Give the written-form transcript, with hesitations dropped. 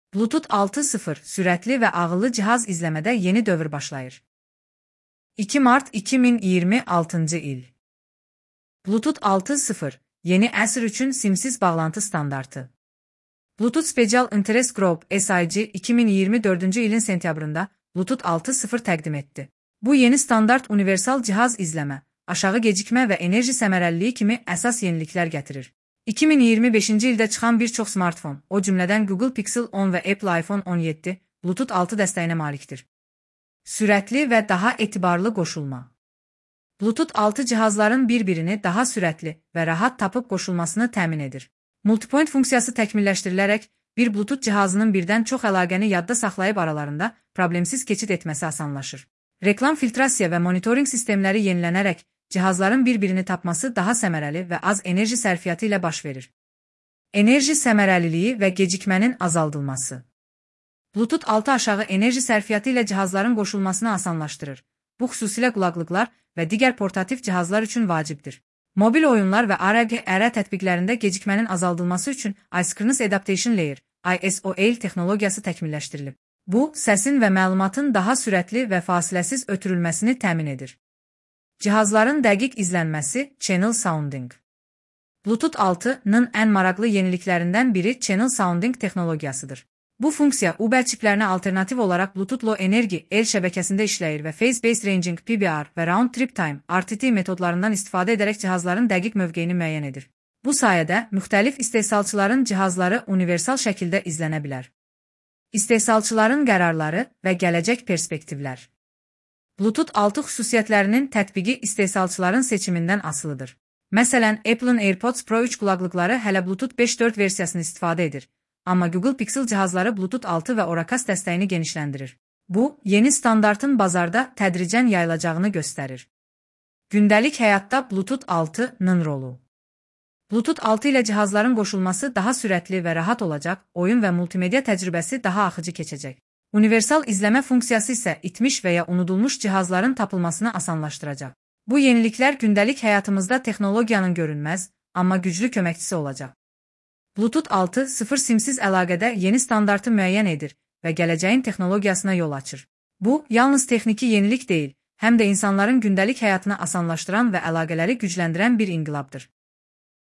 Bluetooth 6.0 sürətli və ağıllı cihaz izləmədə yeni dövr başlayır. 2 mart 2026 il. Bluetooth 6.0 yeni əsr üçün simsiz bağlantı standartı. Bluetooth Special Interest Group (SIG) 2024 ilin sentyabrında Bluetooth 6.0 təqdim etdi. Bu yeni standart universal cihaz izləmə, aşağı gecikmə və enerji səmərəliliyi kimi əsas yeniliklər gətirir. 2025-ci ildə çıxan bir çox smartfon, o cümlədən Google Pixel 10 və Apple iPhone 17, Bluetooth 6 dəstəyinə malikdir. Sürətli və daha etibarlı qoşulma. Bluetooth 6 cihazların bir-birini daha sürətli və rahat tapıb qoşulmasını təmin edir. Multipoint funksiyası təkmilləşdirilərək, bir Bluetooth cihazının birdən çox əlaqəni yadda saxlayıb aralarında problemsiz keçid etməsi asanlaşır. Reklam filtrasiya və monitoring sistemləri yenilənərək, cihazların bir-birini tapması daha səmərəli və az enerji sərfiyyatı ilə baş verir. Enerji səmərəliliyi və gecikmənin azaldılması. Bluetooth 6 aşağı enerji sərfiyyatı ilə cihazların qoşulmasını asanlaşdırır. Bu xüsusilə qulaqlıqlar və digər portativ cihazlar üçün vacibdir. Mobil oyunlar və AR tətbiqlərində gecikmənin azaldılması üçün Asynchronous Adaptation Layer (ISOL) texnologiyası təkmilləşdirilib. Bu, səsin və məlumatın daha sürətli və fasiləsiz ötürülməsini təmin edir. Cihazların dəqiq izlənməsi Channel Sounding. Bluetooth 6-nın ən maraqlı yeniliklərindən biri Channel Sounding texnologiyasıdır. Bu funksiya UBL çiplərinə alternativ olaraq Bluetooth Low Energy L şəbəkəsində işləyir və Phase Based Ranging PBR və Round Trip Time (RTT) metodlarından istifadə edərək cihazların dəqiq mövqeyini müəyyən edir. Bu sayədə müxtəlif istehsalçıların cihazları universal şəkildə izlənə bilər. İstehsalçıların qərarları və gələcək perspektivlər. Bluetooth 6 xüsusiyyətlərinin tətbiqi istehsalçıların seçimindən asılıdır. Məsələn, Apple'ın AirPods Pro 3 qulaqlıqları hələ Bluetooth 5.4 versiyasını istifadə edir. Amma Google Pixel cihazları Bluetooth 6 və Oracast dəstəyini genişləndirir. Bu, yeni standartın bazarda tədricən yayılacağını göstərir. Gündəlik həyatda Bluetooth 6-nın rolu. Bluetooth 6 ilə cihazların qoşulması daha sürətli və rahat olacaq, oyun və multimedia təcrübəsi daha axıcı keçəcək. Universal izləmə funksiyası isə itmiş və ya unudulmuş cihazların tapılmasını asanlaşdıracaq. Bu yeniliklər gündəlik həyatımızda texnologiyanın görünməz, amma güclü köməkçisi olacaq. Bluetooth 6.0 simsiz əlaqədə yeni standartı müəyyən edir və gələcəyin texnologiyasına yol açır. Bu, yalnız texniki yenilik deyil, həm də insanların gündəlik həyatını asanlaşdıran və əlaqələri gücləndirən bir inqilabdır.